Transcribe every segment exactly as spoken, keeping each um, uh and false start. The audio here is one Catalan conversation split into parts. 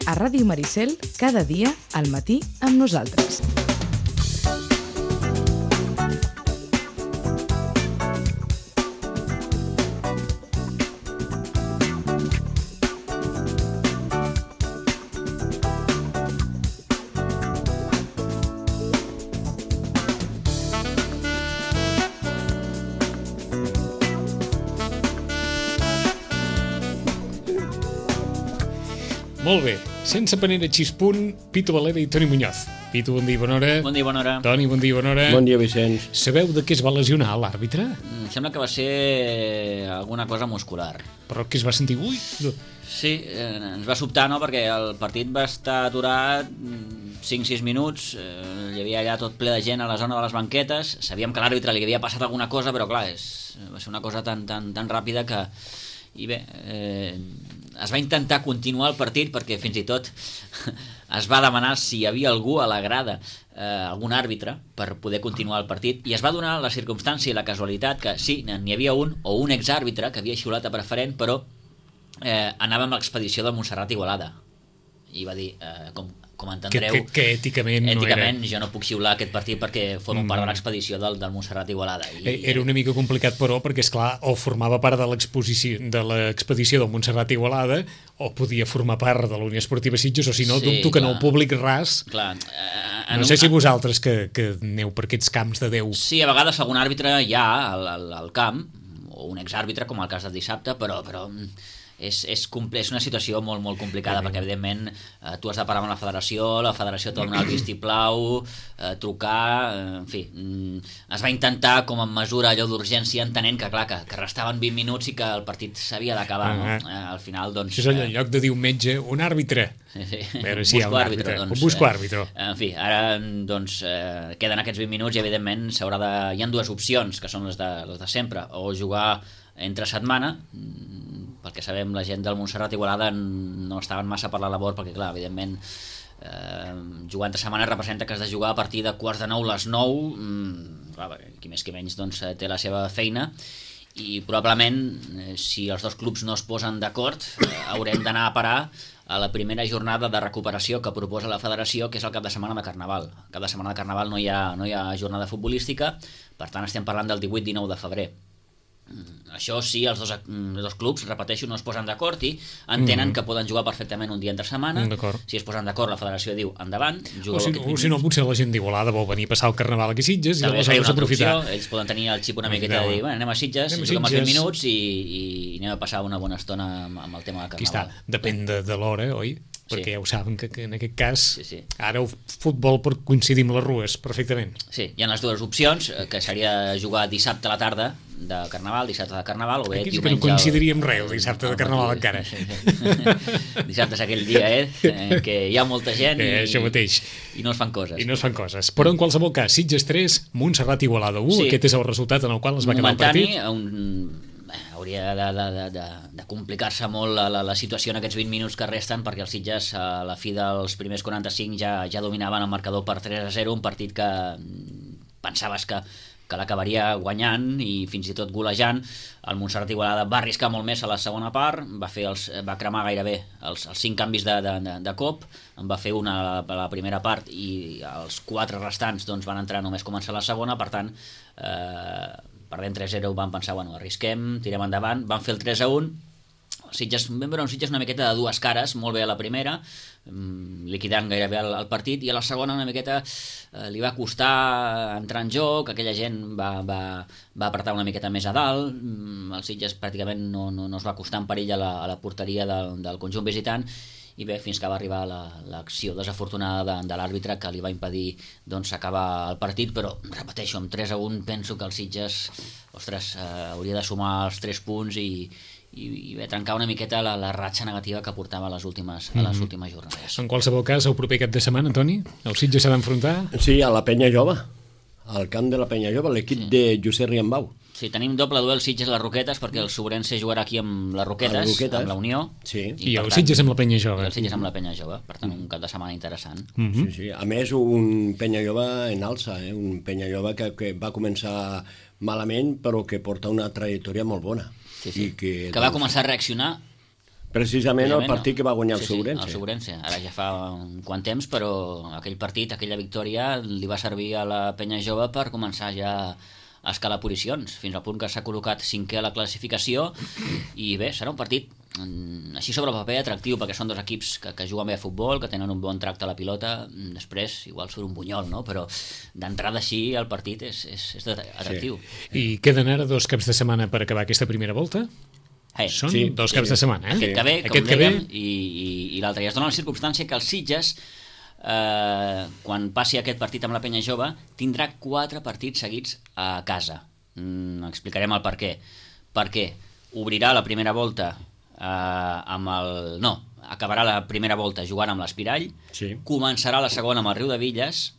a Ràdio Maricel, cada dia al matí amb nosaltres. Molt bé, sense panera xispunt, Pitu Valera i Toni Muñoz. Pitu, bon dia i bona hora. Bon dia i bona hora. Toni, bon dia i bona hora. Bon dia, Vicenç. Sabeu de què es va lesionar l'àrbitre? Em sembla que va ser alguna cosa muscular. Però que es va sentir... Ui! Sí, eh, ens va sobtar, no?, perquè el partit va estar aturat cinc sis minuts, eh, hi havia allà tot ple de gent a la zona de les banquetes, sabíem que a l'àrbitre li havia passat alguna cosa, però clar, és, va ser una cosa tan, tan, tan ràpida que... I bé, eh, es va intentar continuar el partit perquè fins i tot es va demanar si hi havia algú a la grada, eh, algun àrbitre, per poder continuar el partit, i es va donar la circumstància i la casualitat que sí, n'hi havia un o un exàrbitre que havia xiulat a preferent, però eh, anava amb l'expedició de Montserrat Igualada i va dir, eh, com, com entendreu, que, que, que èticament, èticament no era... jo no puc xiular aquest partit perquè formo part de l'expedició del, del Montserrat Igualada. I, era una mica complicat, però, perquè, esclar, o formava part de l'exposició de l'expedició del Montserrat Igualada o podia formar part de la Unió Esportiva Sitges, o si no, sí, dubto que no, el públic ras... Clar, eh, no sé un... si vosaltres que, que aneu per aquests camps de Déu... Sí, a vegades algun àrbitre hi ha al, al, al camp, o un exàrbitre, com el cas del dissabte, però... però És, és, és una situació molt, molt complicada, perquè evidentment eh, tu has de parlar amb la federació, la federació t'ha donat el vistiplau, eh, trucar, eh, en fi, mm, es va intentar com a mesura allò d'urgència, entenent que clar, que, que restaven vint minuts i que el partit s'havia d'acabar, no? Uh-huh. eh, al final, doncs... Això és allò, en lloc de dir un metge, un àrbitre. Sí, sí. A veure si hi ha un àrbitre, àrbitre doncs, un busco àrbitre. Eh, en fi, ara doncs eh, queden aquests vint minuts i evidentment s'haurà de... hi ha dues opcions, que són les de, les de sempre, o jugar entre setmana, pel que sabem la gent del Montserrat Igualada no estaven massa per la labor, perquè clar, evidentment eh, jugar entre setmana representa que has de jugar a partir de quarts de nou les nou, mm, clar, qui més qui menys doncs, té la seva feina, i probablement eh, si els dos clubs no es posen d'acord eh, haurem d'anar a parar a la primera jornada de recuperació que proposa la federació, que és el cap de setmana de Carnaval. El cap de setmana de Carnaval no hi ha, no hi ha jornada futbolística, per tant estem parlant del divuit dinou de febrer. Això sí, els dos, els dos clubs, repeteixo, no es posen d'acord i entenen mm. que poden jugar perfectament un dia entre setmana. Si es posen d'acord, la federació diu endavant, o si, o si no, potser la gent d'Igualada vol venir a passar el Carnaval aquí a Sitges i aleshores aprofitar. Opció, ells poden tenir el xip una miqueta de dir, bueno, anem a Sitges, anem a juguem els vint minuts i, i, i anem a passar una bona estona amb, amb el tema de Carnaval. Aquí està, depèn de, de l'hora, oi? Perquè sí. Ja ho saben que, que en aquest cas sí, sí. Ara el futbol pot coincidir amb les rues perfectament. Sí, hi ha les dues opcions, que seria jugar dissabte a la tarda de Carnaval, dissabte de Carnaval, o bé aquí diumenge... Aquí no coincidiria amb res el dissabte de Carnaval encara. Sí, sí. Dissabte és aquell dia, eh, en què hi ha molta gent i, eh, això mateix. I no es fan coses. I no es fan coses. Però en qualsevol cas, Sitges tres, Montserrat Igualada u, sí. Aquest és el resultat en el qual es va quedar el partit. Un... hauria de, de, de, de, de complicar-se molt la, la, la situació en aquests vint minuts que resten, perquè els Sitges a la fi dels primers quaranta-cinc ja, ja dominaven el marcador per tres a zero, un partit que pensaves que, que l'acabaria guanyant i fins i tot golejant. El Montserrat Igualada va arriscar molt més a la segona part, va, fer els, va cremar gairebé els, els cinc canvis de, de, de, de cop, en va fer una a la, a la primera part i els quatre restants doncs, van entrar només començar la segona, per tant eh, perdent tres a zero van pensar, bueno, arrisquem, tirem endavant, van fer el tres a un. Sitges, vam veure un Sitges una miqueta de dues cares, molt bé a la primera, liquidant gairebé el, el partit, i a la segona una miqueta eh, li va costar entrar en joc, aquella gent va, va, va apretar una miqueta més a dalt, el Sitges pràcticament no, no, no es va acostar en perill a la, a la porteria del, del conjunt visitant, i bé, fins que va arribar l'acció la, desafortunada de, de l'àrbitre que li va impedir doncs, acabar el partit, però repeteixo, amb tres a un penso que el Sitges ostres, eh, hauria de sumar els tres punts i, i, i bé, trencar una miqueta la, la ratxa negativa que portava a les últimes, a les últimes jornades. En qualsevol cas, el proper cap de setmana, Toni, el Sitges s'ha d'enfrontar? Sí, a la Penya Jove, al camp de la Penya Jove, l'equip sí. de Josep Riambau. Sí, tenim doble duel Sitges-Les Roquetes, perquè el Sobrense jugarà aquí amb les Roquetes, Roquetes. amb la Unió. Sí. I, I el tant, Sitges amb la Penya Jove. I el Sitges amb la Penya Jove, per tant, un cap de setmana interessant. Mm-hmm. Sí, sí. A més, un Penya Jove en alça, eh? Un Penya Jove que, que va començar malament, però que porta una trajectòria molt bona. Sí, sí. I que, que va començar a reaccionar Precisament, Precisament el partit no. que va guanyar el sí, sí, Segurense. el Segurense. Ara ja fa un quant temps, però aquell partit, aquella victòria, li va servir a la penya jove per començar ja a escalar posicions, fins al punt que s'ha col·locat cinquè a la classificació, i bé, serà un partit així sobre el paper atractiu, perquè són dos equips que, que juguen bé a futbol, que tenen un bon tracte a la pilota, després igual surt un bunyol, no? Però d'entrada així el partit és, és, és atractiu. Sí. I queden ara dos caps de setmana per acabar aquesta primera volta? Hey, Són sí, dos sí. caps de setmana, eh? Aquest que ve, com Aquest que dèiem, ve... i, i, i l'altre. I es dona la circumstància que el Sitges, eh, quan passi aquest partit amb la penya jove, tindrà quatre partits seguits a casa. Mm, explicarem el per què. Perquè obrirà la primera volta eh, amb el... No, acabarà la primera volta jugant amb l'Espirall, Sí. començarà la segona amb el Riu de Villes,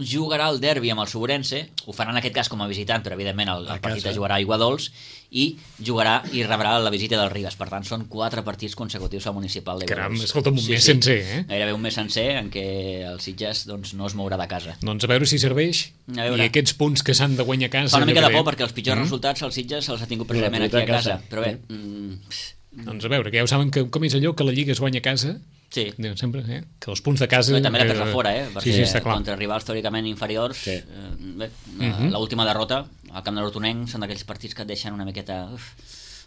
jugarà el derbi amb el Segurense, ho farà en aquest cas com a visitant, però evidentment el, el partit es jugarà a Aiguadols, i jugarà i rebrà la visita del Ribes. Per tant, són quatre partits consecutius al municipal d'Aiguadols. Caram, escolta'm, un sí, mes sí. sencer, eh? Gairebé un mes sencer en què el Sitges doncs, no es mourà de casa. Doncs a veure si serveix. I aquests punts que s'han de guanyar a casa... Fa una mica de por, bé. perquè els pitjors mm. resultats el Sitges se'ls ha tingut precisament aquí a casa. casa. Però bé... Mm, doncs a veure, que ja ho saben que, com és allò que la Lliga es guanya a casa... Sí. Diuen sempre, eh? Que els punts de casa... Però també la perds a fora, eh? Perquè sí, sí, està clar. Contra rivals teòricament inferiors, sí. eh, bé, uh-huh. l'última derrota al camp de l'Hortonenc són d'aquells partits que et deixen una miqueta uf,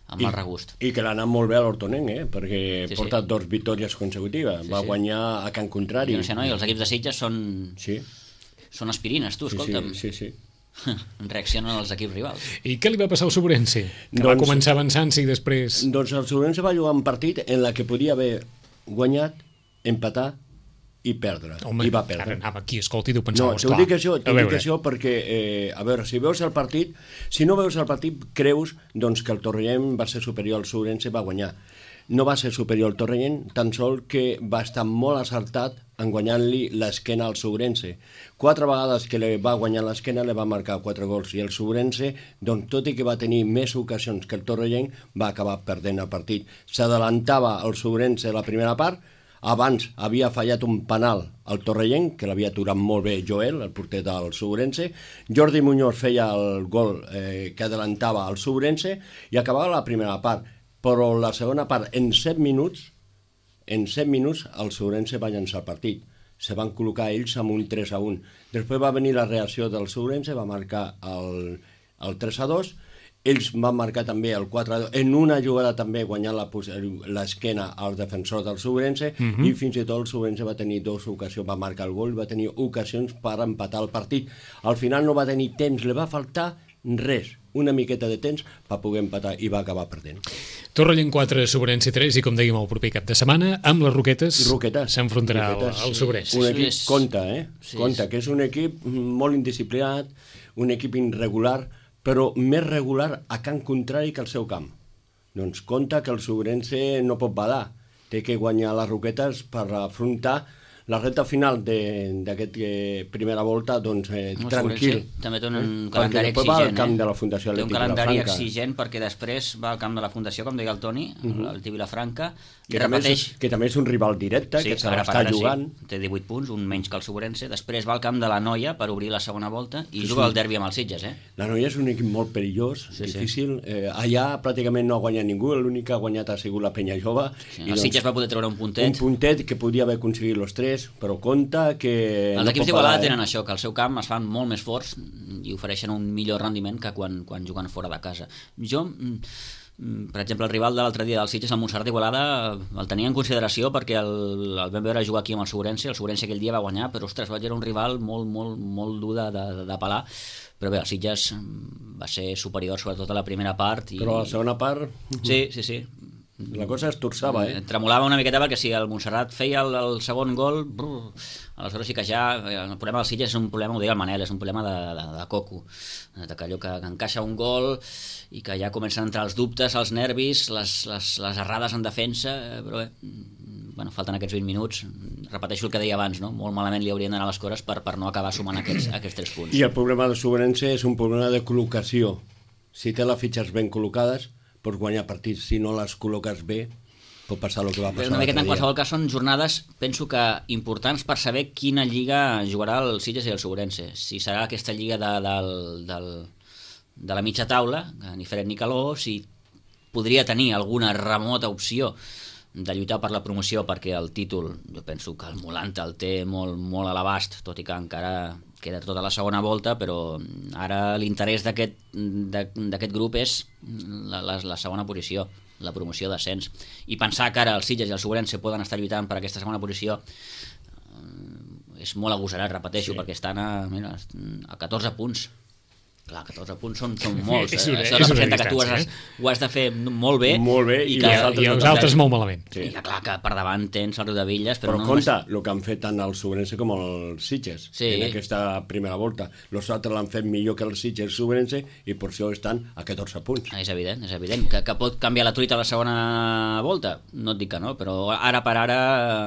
amb I, mal regust. I que l'ha anat molt bé a l'Hortonenc, eh? Perquè sí, porta sí. dos victòries consecutives. Sí, Va sí. guanyar a Can Contrari. Jo no sé, no? I els equips de Sitges són, sí. són aspirines, tu, sí, escolta'm. Sí, sí, sí. Reaccionen els equips rivals. I què li va passar al Sobrense? Que doncs, va començar avançant-se i després... Doncs el Sobrense va jugar un partit en la que podia haver guanyat, empatar i perdre. Home, I va perdre. ara anava aquí, escolta, i t'ho pensava, no, esclar. No, t'ho dic això, t'ho dic això perquè, eh, a veure, si veus el partit, si no veus el partit, creus doncs, que el Torrellent va ser superior al Sobrense, va guanyar. No va ser superior al Torrellent, tan sol que va estar molt acertat en guanyant-li l'esquena al Sobrense. Quatre vegades que li va guanyar l'esquena, li va marcar quatre gols, i el Sobrense, doncs, tot i que va tenir més ocasions que el Torrellent, va acabar perdent el partit. S'adelantava el Sobrense a la primera part, abans havia fallat un penal al Torrellent, que l'havia aturat molt bé Joel, el porter del Sobrense. Jordi Muñoz feia el gol eh, que adelantava al Sobrense i acabava la primera part. Però la segona part, en set minuts, en set minuts el Sobrense va llançar el partit. Se van col·locar ells amb un tres a un. Després va venir la reacció del Sobrense, va marcar el, el tres a dos. Ells van marcar també el quatre a dos, en una jugada també guanyant l'esquena al defensor del Sobrense, uh-huh. i fins i tot el Sobrense va tenir dues ocasions, va marcar el gol, va tenir ocasions per empatar el partit. Al final no va tenir temps, li va faltar res, una miqueta de temps per poder empatar, i va acabar perdent. Torrellent quatre, Sobrense tres, i com dèiem el proper cap de setmana, amb les Roquetes, Roquetes s'enfrontarà al, al Sobrense. Un equip, sí, compta, eh? Sí, compta, que és un equip molt indisciplinat, un equip irregular, però més regular a camp contrari que al seu camp. Doncs compta que el Sobrense no pot badar, té que guanyar les Roquetes per afrontar la recta final d'aquesta eh, primera volta, doncs eh, no, tranquil. Sí. També té un eh? calendari exigent. Va al camp eh? de la Fundació Té un Atlètic calendari Vilafranca. exigent perquè després va al camp de la Fundació, com deia el Toni, uh-huh. el T Vilafranca, que, i també repeteix... és, que també és un rival directe, sí, que se l'està jugant. Sí, té divuit punts, un menys que el Sobrense. Després va al camp de la Noia per obrir la segona volta i sí, juga sí. el derbi amb els Sitges. Eh? La Noia és un equip molt perillós, sí, difícil. Sí. Eh, allà pràcticament no ha guanyat ningú, l'únic que ha guanyat ha sigut la Penya Jove. Sí, el doncs, Sitges va poder treure un puntet. Un puntet que podia haver aconseguit els tres, però compta que... Els no equips d'Igualada eh? tenen això, que al seu camp es fan molt més forts i ofereixen un millor rendiment que quan, quan juguen fora de casa. Jo, per exemple, el rival de l'altre dia del Sitges, el Montserrat d'Igualada, el tenia en consideració perquè el, el vam veure jugar aquí amb el Sobrense, el Sobrense aquell dia va guanyar, però ostres, va era un rival molt, molt, molt dur de, de, de pelar, però bé, el Sitges va ser superior sobretot a la primera part. I... Però a la segona part... Sí, sí, sí. La cosa es torçava, eh? Tremolava una miqueta perquè si el Montserrat feia el, el segon gol, brr, aleshores sí que ja... El problema del Sitges és un problema, ho deia el Manel, és un problema de, de, de coco. De que allò que, que encaixa un gol i que ja comencen a entrar els dubtes, els nervis, les, les, les errades en defensa, però bé, bueno, falten aquests vint minuts. Repeteixo el que deia abans, no? Molt malament li haurien d'anar les coses per, per no acabar sumant aquests, aquests tres punts. I el problema del Sobrense és un problema de col·locació. Si té les fitxes ben col·locades, pots guanyar partits. Si no les col·loques bé, pot passar el que va passar una miqueta l'altre en qualsevol cas són jornades, penso que importants per saber quina lliga jugarà el Sitges i el Sobrense. Si serà aquesta lliga de, de, de, de la mitja taula, ni fred ni calor, si podria tenir alguna remota opció de lluitar per la promoció, perquè el títol, jo penso que el Molanta el té molt, molt a l'abast, tot i que encara queda tota la segona volta, però ara l'interès d'aquest d'aquest grup és la, la, la segona posició, la promoció d'ascens. I pensar que ara els Sitges i el Sobrense poden estar lluitant per aquesta segona posició és molt agosarat, repeteixo, sí. perquè estan a, mira, a catorze punts. Clar, catorze punts són, són molts. És una, eh? Això és una representa que tu has, eh? ho has de fer molt bé, molt bé i, i, que, i, els, i els altres molt malament. Sí. I que clar, que per davant tens el Riudevilles, però, però no... compte, el que han fet tant el Sobrense com el Sitges sí. en aquesta primera volta. Els altres l'han fet millor que el Sitges i el Sobrense i per això estan a catorze punts. És evident, és evident. Que, que pot canviar la truita a la segona volta? No et dic que no, però ara per ara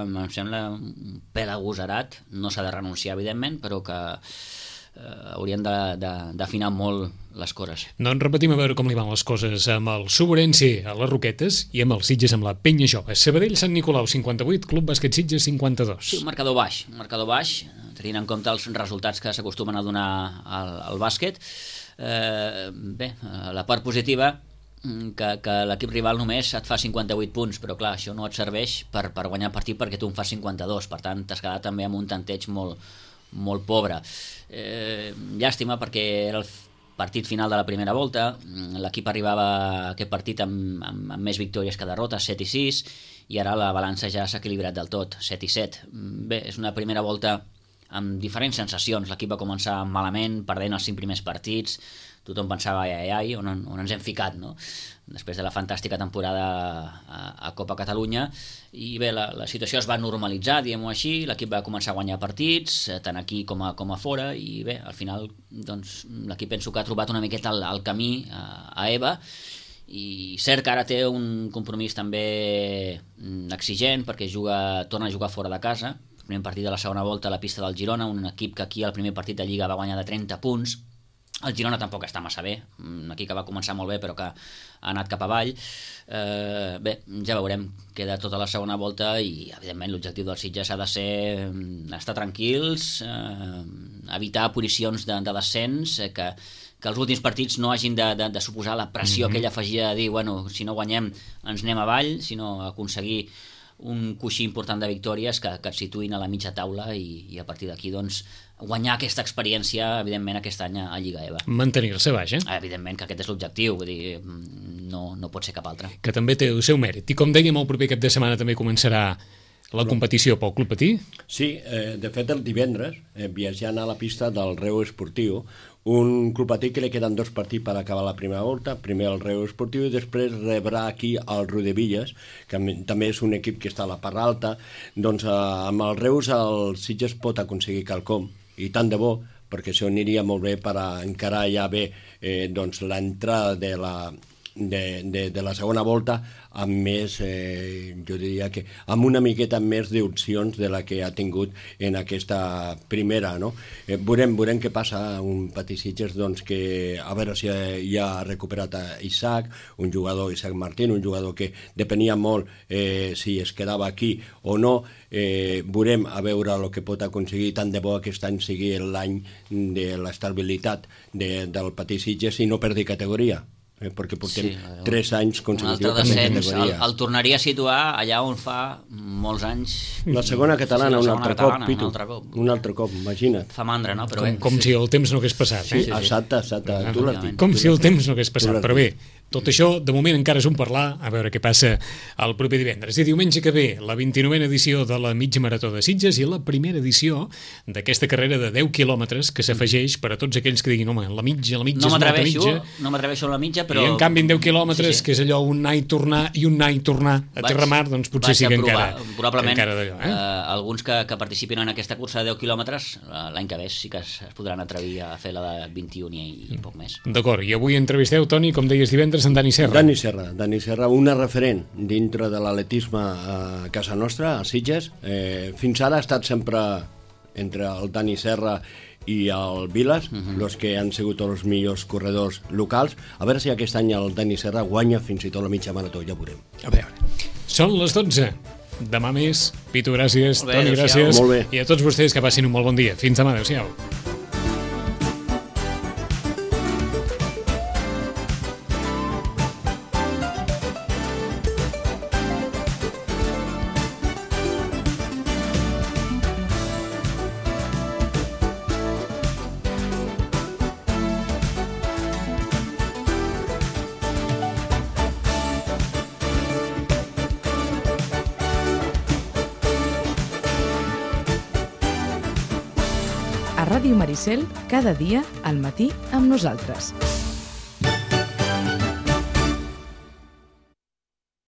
em sembla un pèl agosarat. No s'ha de renunciar, evidentment, però que eh, haurien d'afinar molt les coses. Doncs repetim a veure com li van les coses amb el Sobrense a les Roquetes i amb els Sitges amb la Penya Jove. Sabadell Sant Nicolau cinquanta-vuit, Club Bàsquet Sitges cinquanta-dos. Sí, un marcador baix, un marcador baix, tenint en compte els resultats que s'acostumen a donar al, al bàsquet. Eh, bé, la part positiva que, que l'equip rival només et fa cinquanta-vuit punts, però clar, això no et serveix per, per guanyar el partit perquè tu en fas cinquanta-dos, per tant t'has quedat també amb un tanteig molt, molt pobre. Eh, llàstima perquè era el partit final de la primera volta, l'equip arribava a aquest partit amb, amb, amb més victòries que derrotes, set i sis, i ara la balança ja s'ha equilibrat del tot, set i set. Bé, és una primera volta amb diferents sensacions. L'equip va començar malament, perdent els cinc primers partits, tothom pensava ai, ai, ai, on, on ens hem ficat, no? Després de la fantàstica temporada a, a Copa Catalunya, i bé, la, la situació es va normalitzar, diguem-ho així, l'equip va començar a guanyar partits, tant aquí com a, com a fora, i bé, al final doncs, l'equip penso que ha trobat una miqueta el, el camí a, a EVA, i cert que ara té un compromís també exigent, perquè juga, torna a jugar fora de casa, el primer partit de la segona volta a la pista del Girona, un equip que aquí al primer partit de Lliga va guanyar de trenta punts. El Girona tampoc està massa bé, aquí que va començar molt bé però que ha anat cap avall. Eh, bé, ja veurem, queda tota la segona volta i evidentment l'objectiu dels Sitges ha de ser estar tranquils, eh, evitar posicions de, de descens, eh, que, que els últims partits no hagin de, de, de suposar la pressió mm-hmm. que ell afegia de dir, bueno, si no guanyem ens anem avall, sinó aconseguir un coixí important de victòries que, que et situïn a la mitja taula i, i a partir d'aquí doncs guanyar aquesta experiència, evidentment, aquest any a Lliga EVA. Mantenir-se baix, eh? Evidentment que aquest és l'objectiu, vull dir, no, no pot ser cap altre. Que també té el seu mèrit. I com dèiem, el proper cap de setmana també començarà la competició pel Club Patí? Sí, eh, de fet el divendres, eh, viatjant a la pista del Reu Esportiu, un Club Patí que li queden dos partits per acabar la primera volta, primer el Reu Esportiu i després rebrà aquí el Riudevilles, que també és un equip que està a la part alta. Doncs eh, amb el Reus el Sitges pot aconseguir quelcom, i tant de bo, perquè això aniria molt bé per a encarar ja bé eh, doncs, l'entrada de la, de, de, de la segona volta amb més, eh, jo diria que amb una miqueta més d'opcions de la que ha tingut en aquesta primera, no? Eh, veurem, veurem què passa un Patí Sitges, doncs que a veure si ja ha recuperat a Isaac, un jugador, Isaac Martín, un jugador que depenia molt eh, si es quedava aquí o no. Eh, veurem a veure el que pot aconseguir, tant de bo aquest any sigui l'any de l'estabilitat de, del Patí Sitges i no perdi categoria. Eh, perquè portem sí, tres anys consecutius per categoria. El, el tornaria a situar allà on fa molts anys. La segona catalana, sí, la un altre catalana, cop, Pitu. Un altre cop. Un altre cop, imagina't. Fa mandra, no? Però com, bé. com si el temps no hagués passat. Sí, eh? sí, sí. Exacte, exacte. Ah, tu l'has dit. Com si el temps no hagués passat, però bé, tot això de moment encara és un parlar, a veure què passa el proper divendres. I diumenge que ve, la vint-i-novena edició de la mitja marató de Sitges i la primera edició d'aquesta carrera de deu quilòmetres que s'afegeix per a tots aquells que diguin, home, la mitja, la mitja no és molta mitja. No m'atreveixo a la mitja, però... I en canvi en deu quilòmetres, sí, sí. que és allò un anar i tornar i un anar i tornar a Terramar, doncs potser sí que encara, probablement, encara d'allò. Eh? Eh, alguns que, que participin en aquesta cursa de deu quilòmetres, l'any que ve sí que es, es podran atrevir a fer la de vint-i-un i, i poc més. D'acord, i avui entrevisteu, Toni, com deies divendres, en Dani Serra. Dani Serra, Dani Serra, una referent dintre de l'atletisme a casa nostra, a Sitges. Eh, fins ara ha estat sempre entre el Dani Serra i el Vilas, uh-huh. los que han sigut els millors corredors locals. A veure si aquest any el Dani Serra guanya fins i tot la mitja marató, ja veurem. A veure, són les dotze. Demà més. Pitu, gràcies. Bé, Toni, gràcies. Molt bé. I a tots vostès que passin un molt bon dia. Fins demà, adéu-siau. A Ràdio Maricel, cada dia, al matí, amb nosaltres.